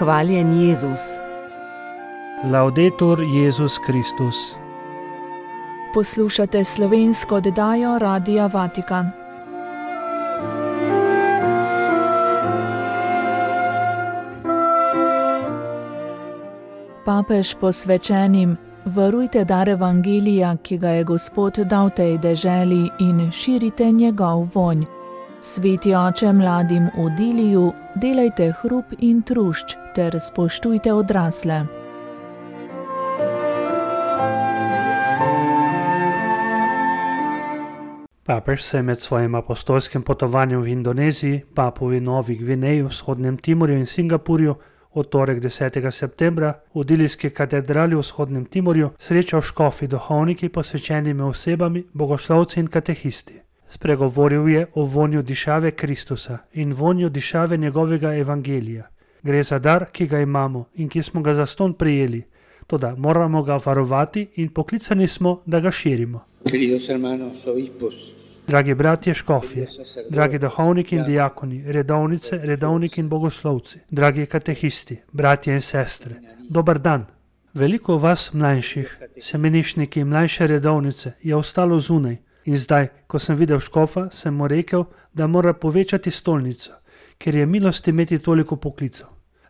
Hvaljen Jezus. Laudetur Jezus Kristus. Poslušate slovensko oddajo Radia Vatikan. Papež posvečenim: varujte dar evangelija, ki ga je Gospod dal tej deželi, in širite njegov vonj. Sveti oče mladim v Diliju, delajte hrup in trušč ter spoštujte odrasle. Papež se je med svojim apostolskim potovanjem v Indoneziji, Papuji Novi Gvineji, Vzhodnem Timorju in Singapurju v torek 10. septembra v Dilijski katedrali v Vzhodnem Timorju srečal škofi, duhovniki, posvečenimi osebami, bogoslovci in katehisti. Spregovoril je o vonju dišave Kristusa in vonju dišave njegovega evangelija. Gre za dar, ki ga imamo in ki smo ga zastonj prijeli, toda moramo ga varovati in poklicani smo, da ga širimo. Dragi bratje škofje, dragi duhovniki in dijakoni, redovnice, redovniki in bogoslovci, dragi katehisti, bratje in sestre, dober dan. Veliko vas mlajših, semenišniki in mlajše redovnice je ostalo zunaj in zdaj, ko sem videl škofa, sem mu rekel, da mora povečati stolnico, ker je milost imeti toliko poklicev.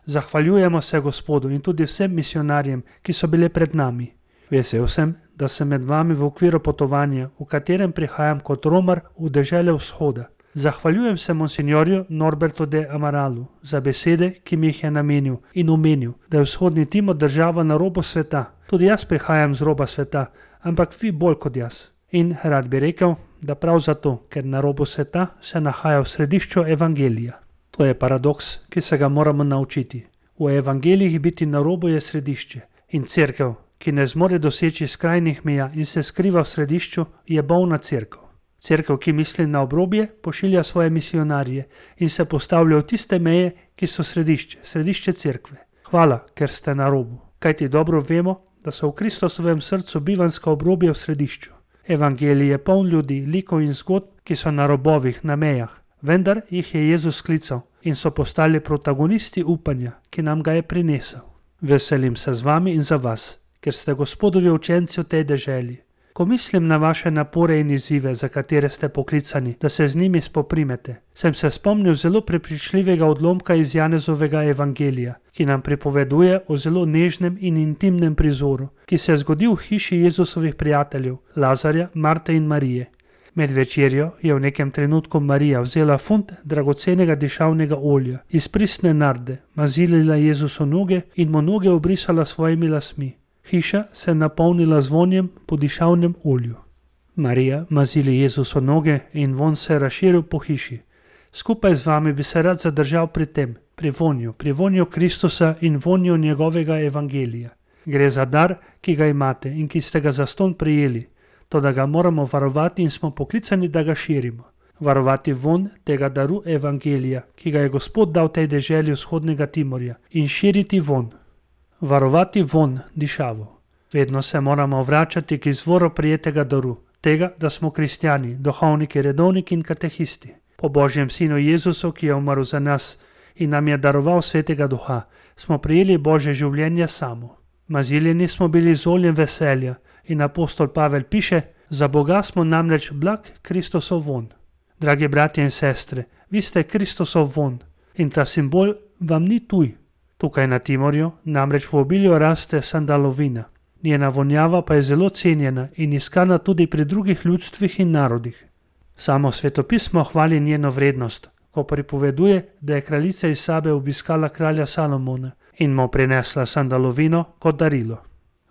Zahvaljujemo se Gospodu in tudi vsem misionarjem, ki so bile pred nami. Vesel sem, da sem med vami v okviru potovanja, v katerem prihajam kot romar v dežele vzhoda. Zahvaljujem se monsignorju Norbertu de Amaralu za besede, ki mi jih je namenil in omenil, da je vzhodni Timor država na robu sveta. Tudi jaz prihajam z roba sveta, ampak vi bolj kot jaz. In rad bi rekel, da prav zato, ker na robu sveta se nahaja v središču evangelija. To je paradoks, ki se ga moramo naučiti. V evangelijih biti na robu je središče in cerkev, ki ne zmore doseči skrajnih meja in se skriva v središču, je bolna cerkev. Cerkev, ki misli na obrobje, pošilja svoje misionarje in se postavlja v tiste meje, ki so središče cerkve. Hvala, ker ste na robu, kajti dobro vemo, da so v Kristusovem srcu bivanska obrobja v središču. Evangelij je poln ljudi, likov in zgodb, ki so na robovih, na mejah, vendar jih je Jezus sklical in so postali protagonisti upanja, ki nam ga je prinesel. Veselim se z vami in za vas, ker ste Gospodovi učenci v tej deželi. Ko mislim na vaše napore in izzive, za katere ste poklicani, da se z njimi spoprimete, sem se spomnil zelo prepričljivega odlomka iz Janezovega evangelija, ki nam pripoveduje o zelo nežnem in intimnem prizoru, ki se je zgodil v hiši Jezusovih prijateljev, Lazarja, Marte in Marije. Med večerjo je v nekem trenutku Marija vzela funt dragocenega dišavnega olja iz pristne narde, mazilila Jezusu noge in mu noge obrisala svojimi lasmi. Hiša se je napolnila z vonjem po dišavnem olju. Marija mazili Jezusu noge in vonj se je razširil po hiši. Skupaj z vami bi se rad zadržal pri tem, pri vonju Kristusa in vonju njegovega evangelija. Gre za dar, ki ga imate in ki ste ga zastonj prijeli, toda ga moramo varovati in smo poklicani, da ga širimo. Varovati vonj tega daru evangelija, ki ga je Gospod dal tej deželi vzhodnega Timorja, in širiti vonj. Varovati vonj, dišavo. Vedno se moramo vračati k izvoru prijetega daru, tega, da smo kristjani, duhovniki, redovniki in katehisti. Po Božjem sinu Jezusu, ki je umrl za nas in nam je daroval svetega duha, smo prijeli Božje življenje samo. Maziljeni smo bili z oljem veselja in apostol Pavel piše: za Boga smo namreč blag Kristusov vonj. Dragi bratje in sestre, vi ste Kristusov vonj in ta simbol vam ni tuj. Tukaj na Timorju namreč v obilju raste sandalovina. Njena vonjava pa je zelo cenjena in iskana tudi pri drugih ljudstvih in narodih. Samo svetopismo hvali njeno vrednost, ko pripoveduje, da je kraljica iz Sabe obiskala kralja Salomona in mu prinesla sandalovino kot darilo.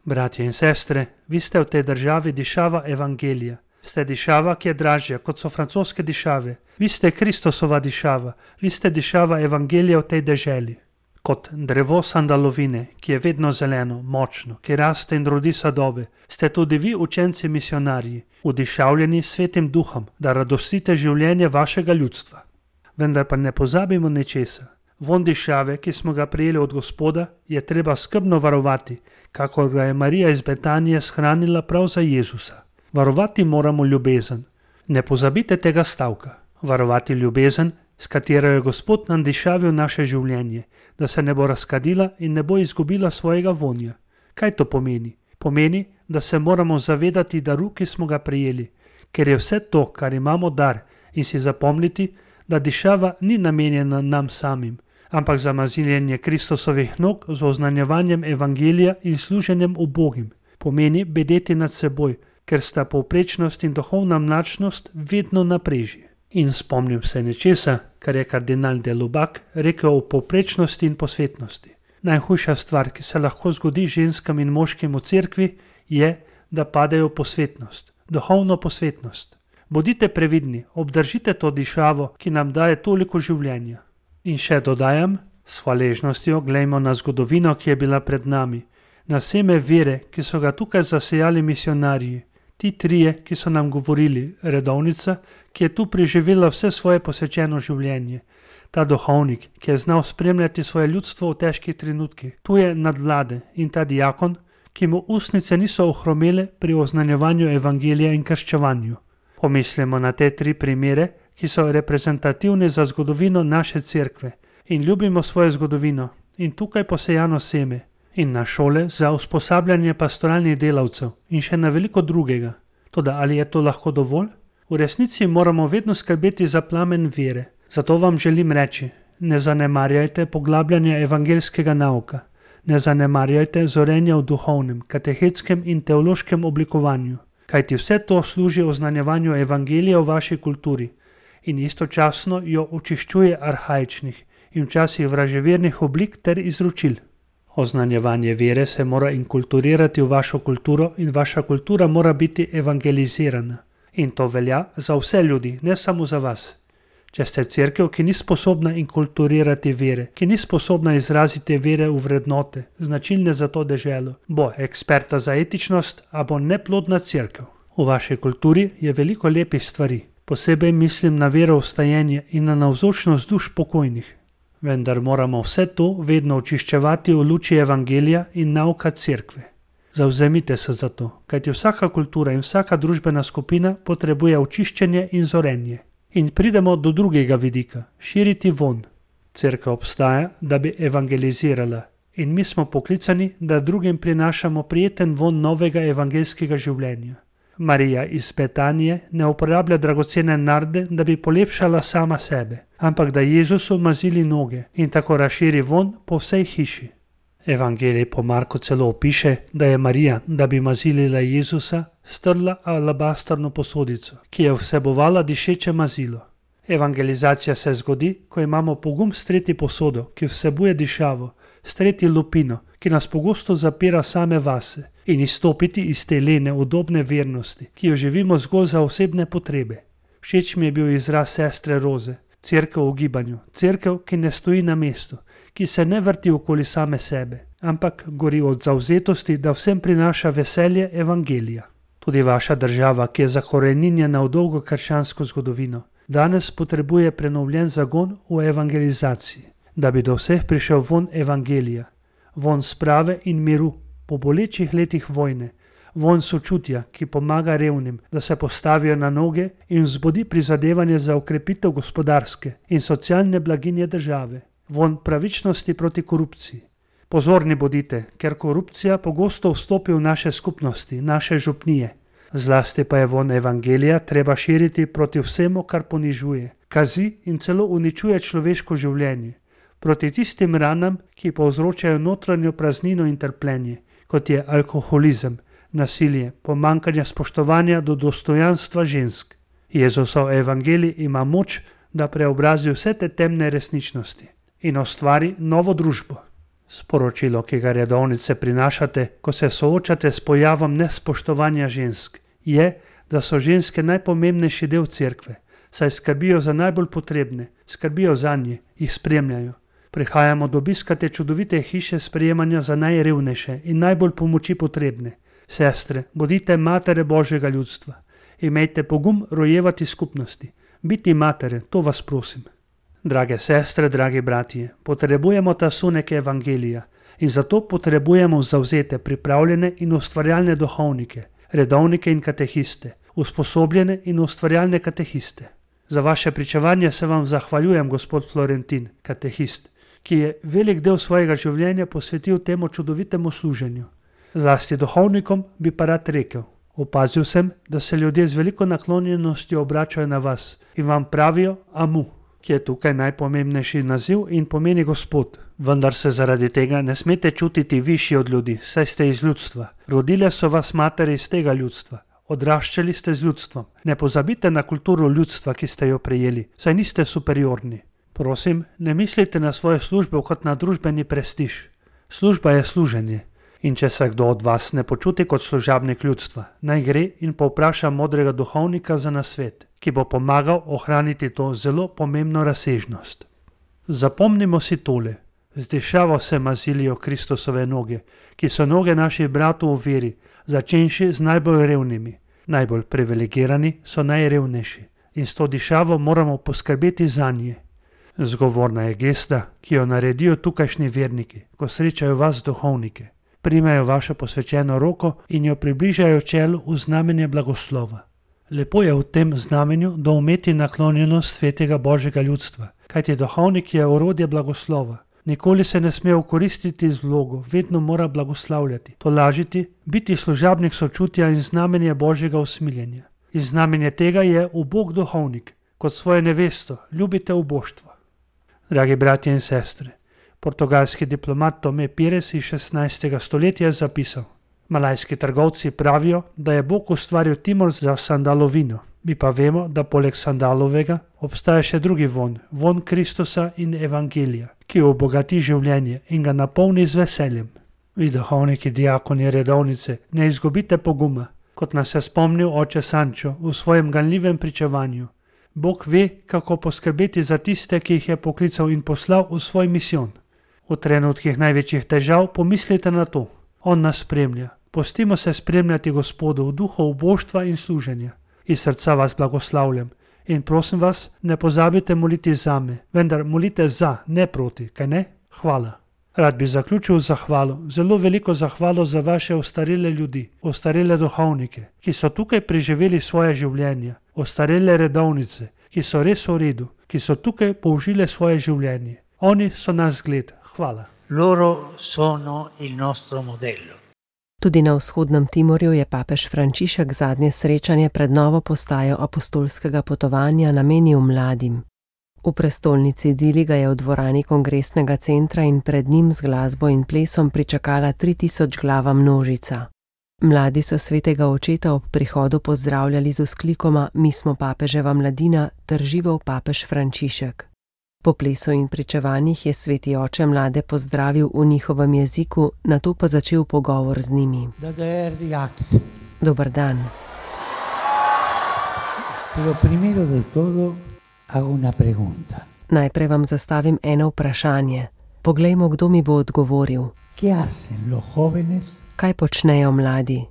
Bratje in sestre, vi ste v tej državi dišava evangelija. Ste dišava, ki je dražja, kot so francoske dišave. Vi ste Kristusova dišava, vi ste dišava evangelija v tej deželi. Kot drevo sandalovine, ki je vedno zeleno, močno, ki raste in rodi sadove, ste tudi vi učenci misionarji, udišavljeni svetim duhom, da radostite življenje vašega ljudstva. Vendar pa ne pozabimo nečesa. Vonj dišave, ki smo ga prijeli od Gospoda, je treba skrbno varovati, kakor ga je Marija iz Betanije shranila prav za Jezusa. Varovati moramo ljubezen. Ne pozabite tega stavka. Varovati ljubezen s katero je Gospod nandišavil naše življenje, da se ne bo razkadila in ne bo izgubila svojega vonja. Kaj to pomeni? Pomeni, da se moramo zavedati daru, ki smo ga prejeli, ker je vse to, kar imamo dar, in si zapomniti, da dišava ni namenjena nam samim, ampak za maziljenje Kristusovih nog z oznanjevanjem evangelija in služenjem ubogim. Pomeni bedeti nad seboj, ker sta povprečnost in duhovna mlačnost vedno na preži. In spomnim se nečesa, kar je kardinal de Lubac rekel o povprečnosti in posvetnosti. Najhujša stvar, ki se lahko zgodi ženskam in moškim v cerkvi, je, da padejo v posvetnost, duhovno posvetnost. Bodite previdni, obdržite to dišavo, ki nam daje toliko življenja. In še dodajam, s hvaležnostjo glejmo na zgodovino, ki je bila pred nami, na seme vere, ki so ga tukaj zasejali misionarji, ti trije, ki so nam govorili, redovnica, ki je tu preživela vse svoje posvečeno življenje, ta duhovnik, ki je znal spremljati svoje ljudstvo v težkih trenutkih, tu je nadvlade in ta diakon, ki mu ustnice niso ohromele pri oznanjevanju evangelija in krščevanju. Pomislimo na te tri primere, ki so reprezentativni za zgodovino naše cerkve in ljubimo svojo zgodovino in tukaj posejano seme in na šole za usposabljanje pastoralnih delavcev in še na veliko drugega. Toda ali je to lahko dovolj? V resnici moramo vedno skrbeti za plamen vere. Zato vam želim reči, ne zanemarjajte poglabljanja evangeljskega nauka, ne zanemarjajte zorenja v duhovnem, katehetskem in teološkem oblikovanju, kajti vse to služi oznanjevanju evangelija v vaši kulturi in istočasno jo očiščuje arhaičnih in včasih vraževernih oblik ter izročil. Oznanjevanje vere se mora inkulturirati v vašo kulturo in vaša kultura mora biti evangelizirana. In to velja za vse ljudi, ne samo za vas. Če ste cerkev, ki ni sposobna inkulturirati vere, ki ni sposobna izraziti vere v vrednote, značilne za to deželo, bo eksperta za etičnost, a bo neplodna cerkev. V vaši kulturi je veliko lepih stvari, posebej mislim na vero v stajenje in na navzočnost duš pokojnih. Vendar moramo vse to vedno očiščevati v luči evangelija in nauka cerkve. Zavzemite se za to, kajti vsaka kultura in vsaka družbena skupina potrebuje očiščenje in zorenje. In pridemo do drugega vidika, širiti von. Cerkev obstaja, da bi evangelizirala in mi smo poklicani, da drugim prinašamo prijeten von novega evangeljskega življenja. Marija iz Betanije ne uporablja dragocene narde, da bi polepšala sama sebe, ampak da Jezusu mazili noge in tako razširi von po vsej hiši. Evangelij po Marku celo opiše, da je Marija, da bi mazilila Jezusa, strla alabastrno posodico, ki je vsebovala dišeče mazilo. Evangelizacija se zgodi, ko imamo pogum streti posodo, ki vsebuje dišavo, streti lupino, ki nas pogosto zapira same vase, in izstopiti iz te lene, udobne vernosti, ki jo živimo zgolj za osebne potrebe. Všeč mi je bil izraz sestre Roze, cerkev v gibanju, cerkev, ki ne stoji na mestu, ki se ne vrti okoli same sebe, ampak gori od zavzetosti, da vsem prinaša veselje evangelija. Tudi vaša država, ki je zakoreninjena v dolgo krščansko zgodovino, danes potrebuje prenovljen zagon v evangelizaciji, da bi do vseh prišel von evangelija, von sprave in miru po bolečih letih vojne, von sočutja, ki pomaga revnim, da se postavijo na noge in vzbudi prizadevanje za okrepitev gospodarske in socialne blaginje države, von pravičnosti proti korupciji. Pozorni bodite, ker korupcija pogosto vstopi v naše skupnosti, naše župnije. Zlasti pa je von evangelija treba širiti proti vsemu, kar ponižuje, kazi in celo uničuje človeško življenje, proti tistim ranam, ki povzročajo notranjo praznino in trpljenje, kot je alkoholizem, nasilje, pomanjkanje spoštovanja do dostojanstva žensk. Jezusov evangelij ima moč, da preobrazi vse te temne resničnosti in ustvari novo družbo. Sporočilo, ki ga redovnice prinašate, ko se soočate s pojavom nespoštovanja žensk, je, da so ženske najpomembnejši del cerkve, saj skrbijo za najbolj potrebne, skrbijo zanje, jih spremljajo. Prihajamo do obiska te čudovite hiše sprejemanja za najrevnejše in najbolj pomoči potrebne. Sestre, bodite matere Božjega ljudstva. Imejte pogum rojevati skupnosti. Biti matere, to vas prosim. Drage sestre, dragi bratje, potrebujemo ta sunek evangelija in zato potrebujemo zavzete, pripravljene in ustvarjalne duhovnike, redovnike in katehiste, usposobljene in ustvarjalne katehiste. Za vaše pričevanje se vam zahvaljujem, gospod Florentin, katehist, ki je velik del svojega življenja posvetil temu čudovitemu služenju. Zlasti duhovnikom bi pa rad rekel. Opazil sem, da se ljudje z veliko naklonjenostjo obračajo na vas in vam pravijo Amu, ki je tukaj najpomembnejši naziv in pomeni Gospod. Vendar se zaradi tega ne smete čutiti višji od ljudi, saj ste iz ljudstva. Rodile so vas matere iz tega ljudstva. Odraščali ste z ljudstvom. Ne pozabite na kulturo ljudstva, ki ste jo prejeli, saj niste superiorni. Prosim, ne mislite na svojo službo kot na družbeni prestiž. Služba je služenje. In če se kdo od vas ne počuti kot služabnik ljudstva, naj gre in povpraša modrega duhovnika za nasvet, ki bo pomagal ohraniti to zelo pomembno razsežnost. Zapomnimo si tole. Z dišavo se mazilijo Kristusove noge, ki so noge naših bratov v veri, začenši z najbolj revnimi. Najbolj privilegirani so najrevnejši in s to dišavo moramo poskrbeti zanje. Zgovorna je gesta, ki jo naredijo tukajšnji verniki, ko srečajo vas duhovnike. Primejo vašo posvečeno roko in jo približajo čelu v znamenje blagoslova. Lepo je v tem znamenju doumeti naklonjenost svetega Božjega ljudstva, kajti duhovnik je orodje blagoslova. Nikoli se ne sme okoristiti z vlogo, vedno mora blagoslavljati, tolažiti, biti služabnik sočutja in znamenje Božjega usmiljenja. In znamenje tega je ubog duhovnik, kot svojo nevesto, ljubite uboštvo. Dragi bratje in sestre, portugalski diplomat Tomé Pires iz 16. stoletja je zapisal: Malajski trgovci pravijo, da je Bog ustvaril Timor za sandalovino. Mi pa vemo, da poleg sandalovega obstaja še drugi von, von Kristusa in Evangelija, ki obogati življenje in ga napolni z veseljem. Vi duhovniki, diakoni, redovnice, ne izgubite poguma, kot nas je spomnil oče Sančo v svojem ganljivem pričevanju. Bog ve, kako poskrbeti za tiste, ki jih je poklical in poslal v svoj misijon. V trenutkih največjih težav pomislite na to. On nas spremlja. Pustimo se spremljati Gospodu v duhu uboštva in služenja. Iz srca vas blagoslavljam in prosim vas, ne pozabite moliti zame, vendar molite za, ne proti, kaj ne? Hvala. Rad bi zaključil zahvalo, zelo veliko zahvalo za vaše ostarele ljudi, ostarele duhovnike, ki so tukaj preživeli svoje življenje, ostarele redovnice, ki so res v redu, ki so tukaj použile svoje življenje. Oni so naš zgled. Hvala. Loro sono il nostro modello. Tudi na vzhodnem Timorju je papež Frančišek zadnje srečanje pred novo postajo apostolskega potovanja namenil mladim. V prestolnici Dili ga je v dvorani kongresnega centra in pred njim z glasbo in plesom pričakala 3000 glava množica. Mladi so svetega očeta ob prihodu pozdravljali z vzklikoma Mi smo papeževa mladina ter živel papež Frančišek. Po plesu in pričevanjih je sveti oče mlade pozdravil v njihovem jeziku, nato pa začel pogovor z njimi. Dober dan. Najprej vam zastavim eno vprašanje. Poglejmo, kdo mi bo odgovoril. Kaj počnejo mladi?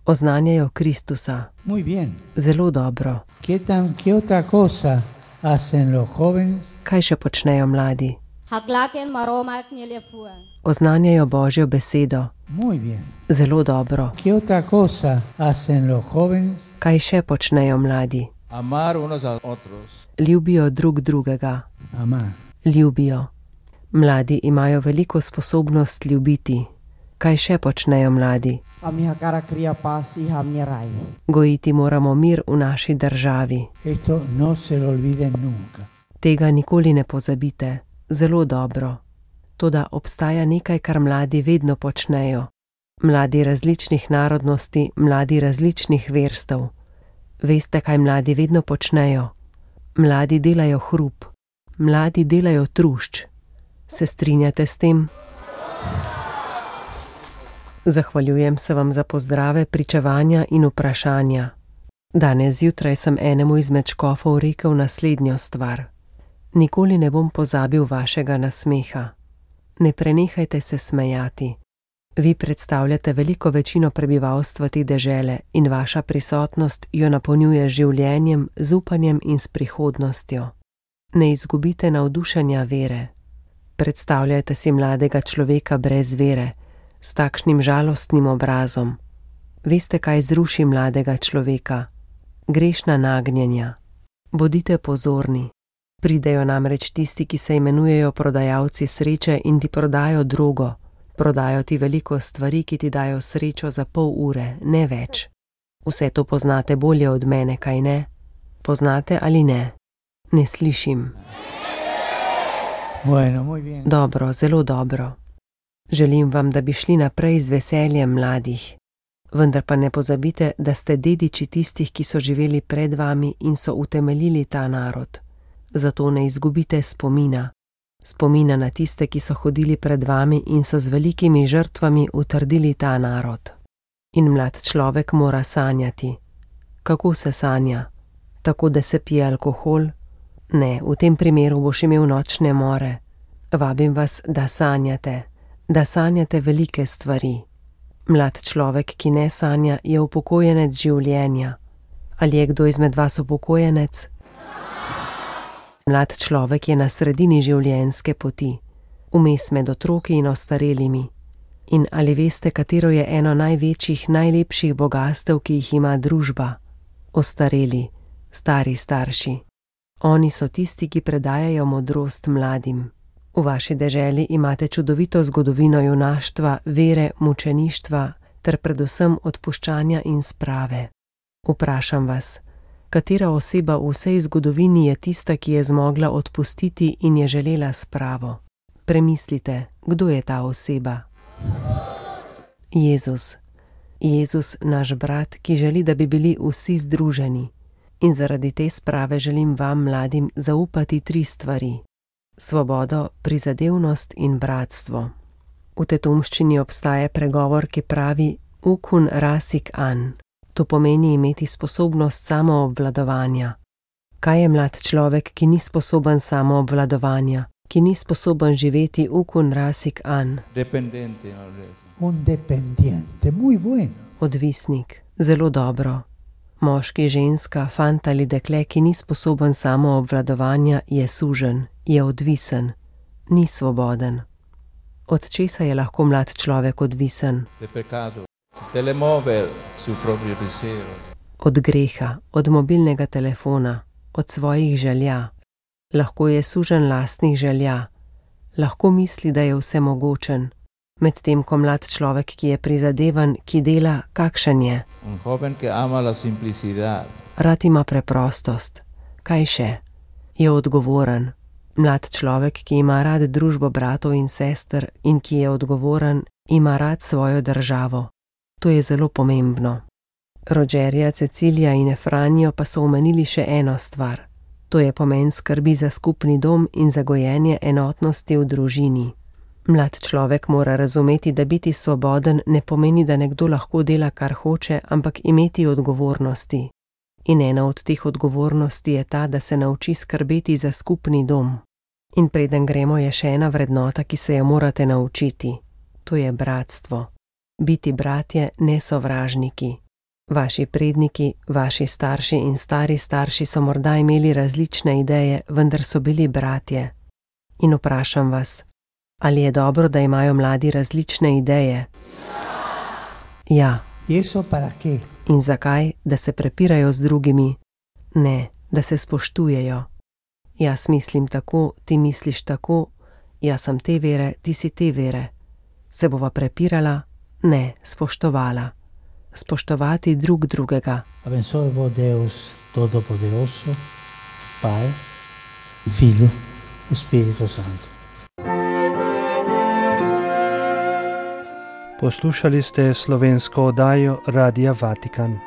Oznanjajo Kristusa. Zelo dobro. Kaj še počnejo mladi? Oznanjajo Božjo besedo. Zelo dobro. Kaj še počnejo mladi? Ljubijo drug drugega. Ljubijo. Mladi imajo veliko sposobnost ljubiti. Kaj še počnejo mladi? Gojiti moramo mir v naši državi. Tega nikoli ne pozabite. Zelo dobro. Toda obstaja nekaj, kar mladi vedno počnejo. Mladi različnih narodnosti, mladi različnih verstev. Veste, kaj mladi vedno počnejo? Mladi delajo hrup. Mladi delajo trušč. Se strinjate s tem? Zahvaljujem se vam za pozdrave, pričevanja in vprašanja. Danes zjutraj sem enemu izmed škofov rekel naslednjo stvar. Nikoli ne bom pozabil vašega nasmeha. Ne prenehajte se smejati. Vi predstavljate veliko večino prebivalstva te dežele in vaša prisotnost jo napolnjuje življenjem, z upanjem in s prihodnostjo. Ne izgubite navdušenja vere. Predstavljajte si mladega človeka brez vere, s takšnim žalostnim obrazom. Veste, kaj zruši mladega človeka? grešna nagnjenja. Bodite pozorni. Pridejo namreč tisti, ki se imenujejo prodajalci sreče in ti prodajo drogo. Prodajo ti veliko stvari, ki ti dajo srečo za pol ure, ne več. Vse to poznate bolje od mene, kaj ne? Poznate ali ne? Ne slišim. Bueno, muy bien. Dobro, zelo dobro. Želim vam, da bi šli naprej z veseljem mladih. Vendar pa ne pozabite, da ste dediči tistih, ki so živeli pred vami in so utemeljili ta narod. Zato ne izgubite spomina. Spomina na tiste, ki so hodili pred vami in so z velikimi žrtvami utrdili ta narod. In mlad človek mora sanjati. Kako se sanja? Tako, da se pije alkohol? Ne, v tem primeru boš imel nočne more. Vabim vas, da sanjate velike stvari. Mlad človek, ki ne sanja, je upokojenec življenja. Ali je kdo izmed vas upokojenec? Mlad človek je na sredini življenjske poti, vmes med otroki in ostarelimi. In ali veste, katero je eno največjih, najlepših bogastev, ki jih ima družba? Ostareli, stari starši. Oni so tisti, ki predajajo modrost mladim. V vaši deželi imate čudovito zgodovino junaštva, vere, mučeništva ter predvsem odpuščanja in sprave. Vprašam vas, katera oseba v vsej zgodovini je tista, ki je zmogla odpustiti in je želela spravo? Premislite, kdo je ta oseba? Jezus. Jezus, naš brat, ki želi, da bi bili vsi združeni. In zaradi te sprave želim vam, mladim, zaupati 3 stvari. Svobodo, prizadevnost in bratstvo. V tetumščini obstaja pregovor, ki pravi ukun rasik an. To pomeni imeti sposobnost samoobvladovanja. Kaj je mlad človek, ki ni sposoben samoobvladovanja, ki ni sposoben živeti ukun rasik an? Un dependiente, muy bueno. Odvisnik, zelo dobro. Moški, ženska, fant ali dekle, ki ni sposoben samoobvladovanja, je suženj, je odvisen, ni svoboden. Od česa je lahko mlad človek odvisen? Od greha, od mobilnega telefona, od svojih želja. Lahko je suženj lastnih želja. Lahko misli, da je vsemogočen. Medtem ko mlad človek, ki je prizadevan, ki dela, kakšen je? Rad ima preprostost. Kaj še? Je odgovoren. Mlad človek, ki ima rad družbo bratov in sester in ki je odgovoren, ima rad svojo državo. To je zelo pomembno. Rogerja, Cecilija in Efranijo pa so omenili še eno stvar. To je pomen skrbi za skupni dom in za gojenje enotnosti v družini. Mlad človek mora razumeti, da biti svoboden ne pomeni, da nekdo lahko dela, kar hoče, ampak imeti odgovornosti. In ena od teh odgovornosti je ta, da se nauči skrbeti za skupni dom. In preden gremo, je še ena vrednota, ki se jo morate naučiti. To je bratstvo. Biti bratje, ne sovražniki. Vaši predniki, vaši starši in stari starši so morda imeli različne ideje, vendar so bili bratje. In vprašam vas, ali je dobro, da imajo mladi različne ideje? Ja. In zakaj? Da se prepirajo z drugimi? Ne, da se spoštujejo. Jaz mislim tako, ti misliš tako, jaz sem te vere, ti si te vere. Se bova prepirala? Ne, spoštovala. Spoštovati drug drugega. Bensovo Deus Todopoderoso, Pai, Figlio e Spirito Santo. Poslušali ste slovensko oddajo Radia Vatikan.